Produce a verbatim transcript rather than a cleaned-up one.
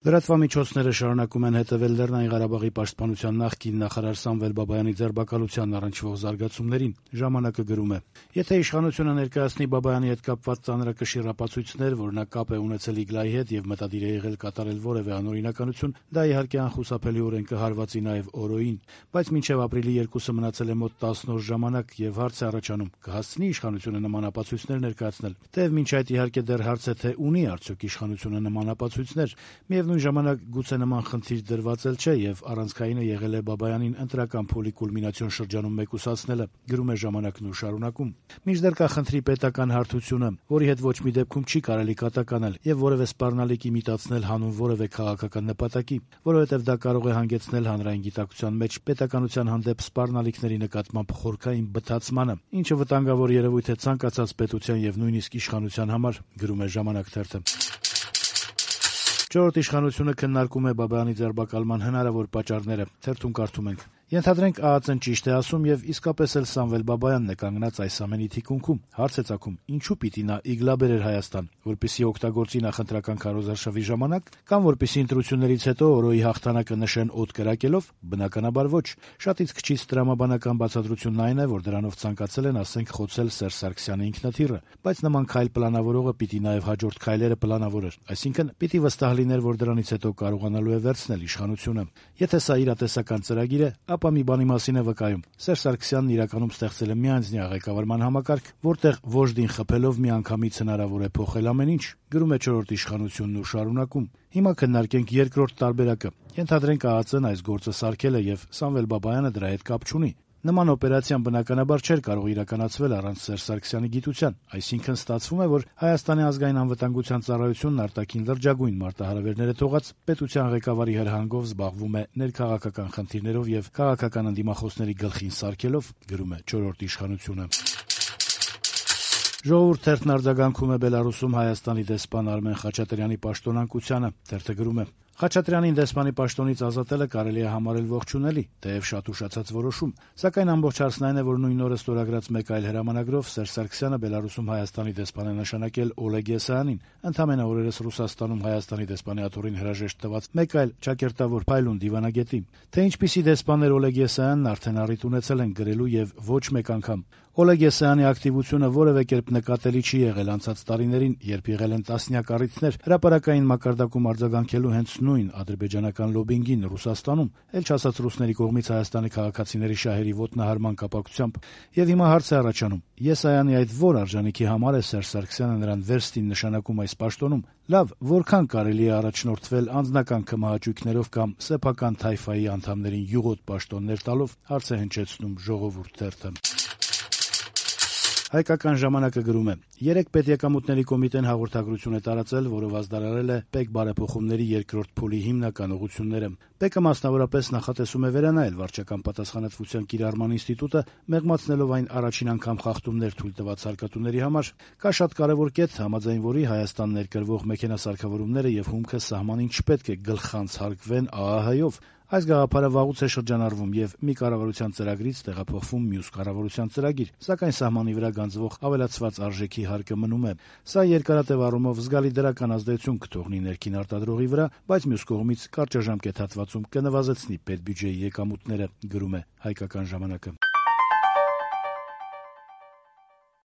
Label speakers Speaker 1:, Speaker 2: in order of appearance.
Speaker 1: Լրատվամիջոցները շարունակում են հետևել Լեռնային Ղարաբաղի պաշտպանության նախկին նախարար Սամվել Բաբայանի ձերբակալությանն առնչվող զարգացումներին։ Ժամանակը գրում է. «Եթե իշխանությունը ներկայացնի Բաբայանի հետ կապված ծանրակշիռ ապացույցներ, որ նա կապ է ունեցել Իգլայի հետ եւ մտադիր է եղել կատարել որեւէ անօրինականություն, դա իհարկե անխուսափելիորեն կհարվածի նաեւ օրոյին։ Բայց մինչեւ ապրիլի երկուսը մնացել է մոտ տասն օր ժամանակ եւ հարց է առաջանում՝ կհասցնի իշխանությունը նման ապացույցներ ներկայացնել։ Թեեւ մինչ այդ իհարկե դեռ հարց է, թե ունի արդյոք իշխանությունը նման ապացույցներ։ Միևնույն ժամանակ գուցե նման խնդիր դրված էլ չէ եւ առանցքայինը եղել է Բաբայանին ընտրական փուլի կուլմինացիոն շրջանում մեկուսացնելը», գրում է «Ժամանակն» ու շարունակում. «Մինչդեռ կա խնդրի պետական հարթությունը, որի հետ ոչ մի դեպքում չի կարելի կատականել եւ որեւէ սպառնալիք իմիտացնել հանուն որեւէ քաղաքական նպատակի, որովհետեւ դա կարող է հանգեցնել հանրային գիտակցության մեջ պետականության հանդեպ սպառնալիքների նկատմամբ խորքային բթացմանը, ինչը վտանգավոր երևույթ է ցանկացած պետության եւ նույնիսկ իշխանության համար», գրում է «Ժամանակ» թերթը։ «Չորրորդ իշխանությունը քննարկում է Բաբայանի ձերբակալման հնարավոր պատճառները», թերթում կարդում ենք. «Ենթադրենք ԱԱԾ-ն ճիշտ է ասում եւ իսկապես էլ Սամվել Բաբայանն է կանգնած այս ամենի թիկունքում։ Հարց է ծագում՝ ինչու պիտի նա Իգլա բերեր Հայաստան, որպեսզի օգտագործի նախընտրական քարոզարշավի ժամանակ, կամ որպեսզի ընտրություններից հետո օրոյի հաղթանակը նշեն օդ կրակելով։ Բնականաբար ոչ։ Շատ իսկ քիչ տրամաբանական բացատրությունն այն է, որ դրանով ցանկացել են, ասենք, խոցել Սերժ Սարգսյանի ինքնաթիռը, բայց նման քայլ պլանավորողը պիտի նաեւ հաջորդ քայլերը պլանավորեր, այսինքն պիտի վստահ լիներ, որ դրանից հետո կարողանալու է վերցնել իշխանությունը։ Եթե սա իրատեսական ծրագիր է, ապա մի բանի մասին է վկայում. Սերժ Սարգսյանն իրականում ստեղծել է միանձնյա ղեկավարման համակարգ, որտեղ ոժդին խփելով միանգամից հնարավոր է փոխել ամեն ինչ», գրում է «Չորրորդ իշխանությունն» ու շարունակում. «Հիմա քննարկենք երկրորդ տարբերակը։ Ենթադրենք ԱԱԾ-ն այս գործը սարքել է եւ Սամվել Բաբայանը դրա հետ կապ չունի։ Նման օպերացիան բնականաբար չէր կարող իրականացվել առանց Սերժ Սարգսյանի գիտության, այսինքն ստացվում է, որ Հայաստանի ազգային անվտանգության ծառայությունն արտաքին լրջագույն մարտահրավերներ է թողած, պետության ղեկավարի հրահանգով զբաղվում է ներքաղաքական խնդիրներով եւ քաղաքական ընդդիմախոսների գլխին սարքելով», գրում է «Չորրորդ իշխանությունը»։ «Ժողովուրդ» թերթն արձագանքում է Բելարուսում Հայաստանի դեսպան Արմեն Խաչատրյանի պաշտոնանկությանը։ Թերթը գրում է. «Խաչատրյանին դեսպանի պաշտոնից ազատելը կարելի է համարել ողջունելի, թեև շատ ուշացած որոշում, սակայն ամբողջ հարցն այն է, որ նույն օրը ստորագրած մեկ այլ հրամանագրով Սերժ Սարգսյանը Բելարուսում Հայաստանի դեսպան է նշանակել Օլեգ Եսայանին, ընդամենը օրերս Ռուսաստանում Հայաստանի դեսպանի աթոռին հրաժեշտ տված մեկ այլ ճակերտավոր փայլուն դիվանագետի։ Թե ինչպիսի դեսպան էր Օլեգ Եսայանն արդեն առիթ ունեցել են գրելու եւ ոչ մեկ անգամ։ Օլեգ Եսայանի ակտիվությունը որևէ կերպ նկատելի չի եղել անցած տարիներին, երբ եղել են տասնյակ առիթներ հրապարակային մակարդակում արձագանքելու հենց նույն ադրբեջանական լոբինգին Ռուսաստանում, էլ չասած ռուսների կողմից Հայաստանի քաղաքացիների շահերի ոտնահարման կապակցությամբ։ Եվ հիմա հարց է առաջանում. Եսայանի այդ ո՞ր արժանիքի համար է Սերժ Սարգսյանը նրան վերստին նշանակում այս պաշտոնում։ Լավ, որքան կարելի է առաջնորդվել անձնական կմահաճույքներով կամ սեփական թայֆայի անդամներին յուղոտ պաշտոններ տալով, հարց է հնչեցնում «Ժողովուրդ» թերթը։ Հայկական ժամանակը գրում է. երեք պետեկամուտների կոմիտեն հաղորդագրություն է տարածել, որով ազդարարել է ՊԵԿ բարեփոխումների երկրորդ փուլի հիմնական ուղղությունները։ ՊԵԿ-ը մասնավորապես նախատեսում է վերանայել վարչական պատասխանատվության կիրառման ինստիտուտը, մեղմացնելով այն առաջին անգամ խախտումներ թույլ տված հարկատուների համար։ Կա շատ կարևոր կետ, համաձայն որի Հայաստան ներկրվող մեքենասարքավորումները եւ հումքը սահմանին չպետք է գլխանց հարկվեն ԱԱՀ-ով։ Այս գաղափարը վաղուց է շրջանառվում եւ մի կառավարության ծրագրից տեղափոխվում մյուս կառավարության ծրագիր, սակայն սահմանի վրա գանձվող ավելացված արժեքի հարկը մնում է։ Սա երկարատև առումով զգալի դրական ազդեցություն կթողնի ներքին արտադրողի վրա, բայց մյուս կողմից կարճաժամկետ հատվածում կնվազեցնի պետբյուջեի եկամուտները, գրում է Հայկական ժամանակը։